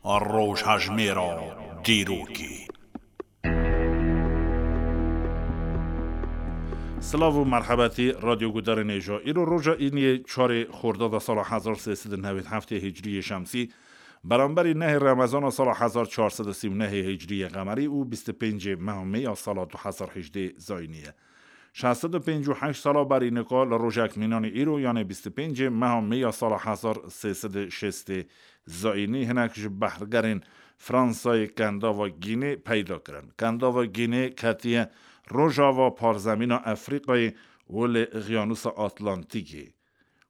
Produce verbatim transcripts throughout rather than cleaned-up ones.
Rojhejmêra dîrokê. Silav û merhebetî radyo gudarên hêja. Îro roja îniyê çarê xordada sala hezar sê sed û newêd heftê hicriyê şemsî, beramberî nehê remezana sala hezar çar sed û sî û nehê hicriyê qemerî û bîst û pêncê meha mê ya sala du hezar hejdê zayînî ye. Şeş sed û pêncî û heşt sala berî nika li rojek mînanî îro, yanê bîst û pêncê meha mê ya sala hezar sê sed û şêstê zayînî, hinek ji behrgerên Fransayê kendava Gînê peyda kirin. Kendava Gînê ketiye rojava parzemîna Efrîqayê û li Xiyanûsa Atlantîkê,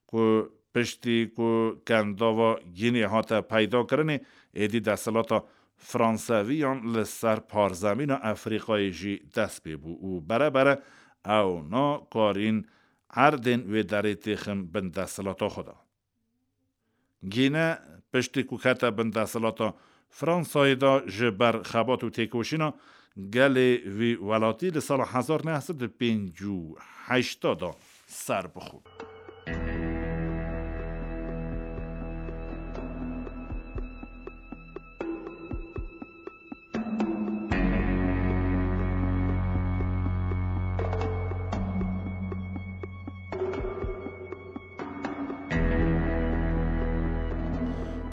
ku piştî ku kendava Gînê hate peyda kirinê, êdî desthilata Franseviyan li ser parzemîna Efrîqayê jî dest pê bû û bere bere ewna karîn erdên wê derê têxin bin desthilata xwe de. Gîne piştî ku kete bin desthilata Fransayê de, ji ber xebat û têkoşîna gelê wî welatî li sala hezar neh sed û pêncî û heşt de ser bixwe.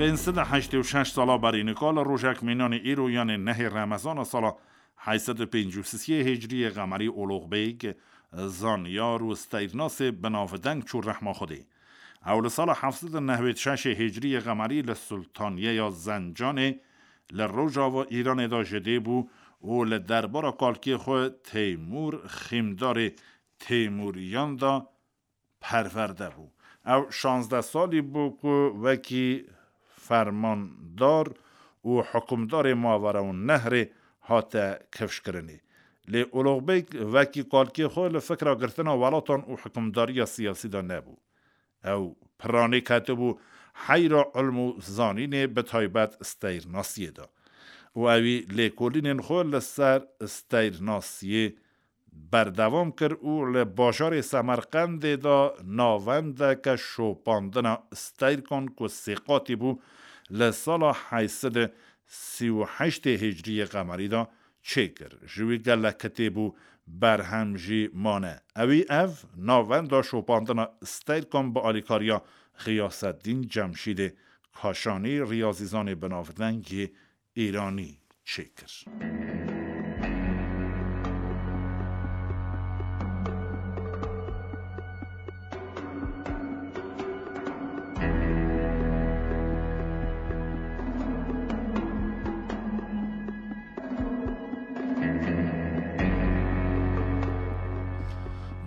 Pênc sed û heştê û şeş sala berî nika li rojek mînanî îro, yanê nehê remezana sala heşt sed û pêncî û sisê hicriyê qemerî, Olox Beg, zanyar û steyrnasê binavdeng çû rehma Xwedê. Ew li sala heft sed û newêd şeşê hicriyê qemerî li Sultaniyeya Zencanê li rojava Îranê de ji dê bû û li derbara kalkê xwe Teymûr, xîmdarê Teymûriyan de perwerde bû. Ew şazdeh salî bû ku wekî fermandar û hukimdarê Mavera û Nehrê hate kifşkirinê. Lê Olox Beg wekî kalkê xwe li fikra girtina welatan û hukimdariya siyasî de nebû. Ew piranî ketibû heyra ilm û zanînê, bi taybet steyrnasiyê de. Û ewî lêkolînên xwe li ser steyrnasiyê berdewam kir û li bajarê Semerqendê de navendeke şopandina steyrkan ku sêqatî bû, li sala heşt sed û sî û heştê hicriyê qemerî de çêkir. Ji wî gelek kitêb û berhem jî mane. Ewî ev navenda şopandina steyrkan bi alîkariya Xiyaseddîn Cemşîdê Kaşanî, riyazîzanê binavdengê Îranî çêkir.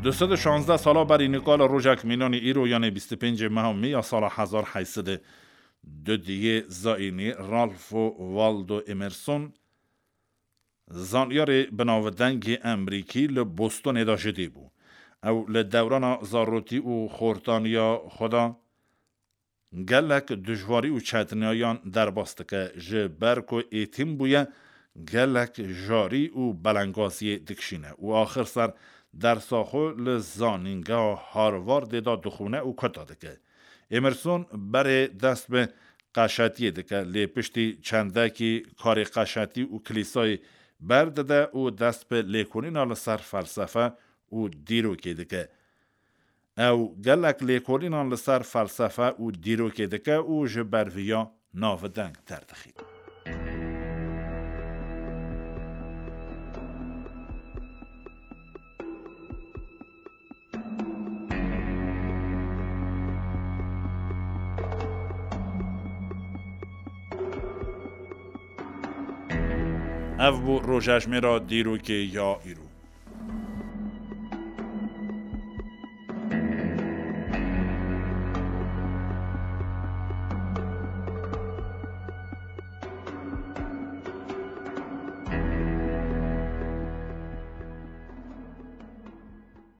Du sed û şazdeh sala berî nika li rojek mînanî îro, yanê bîst û pêncê meha mê ya sala hezar heşt sed û du diyê zayînî, Ralph Waldo Emerson, zanyarê binavdengê Emerîkî, li Bostonê de ji dê bû. Ew li dewrana zarotî û xortaniya xwe de gelek dijwarî û çetiniyan derbas dike, ji ber ku êtîm bûye, gelek jarî û belengaziyê dikişîne û axir ser dersa xwe li zanîngeha Harvardê de dixwîne û kota dike. Emerson berê dest bi qeşetiyê dike, lê piştî çendekî karê qeşetî û kilîsayê berdide û dest bi lêkolîna li ser felsefe û dîrokê dike. Ew gelek lêkolînan li ser felsefe û dîrokê dike û ji ber viya navdeng derdixîne. Ev bû rojejmêra dîrokê ya îro.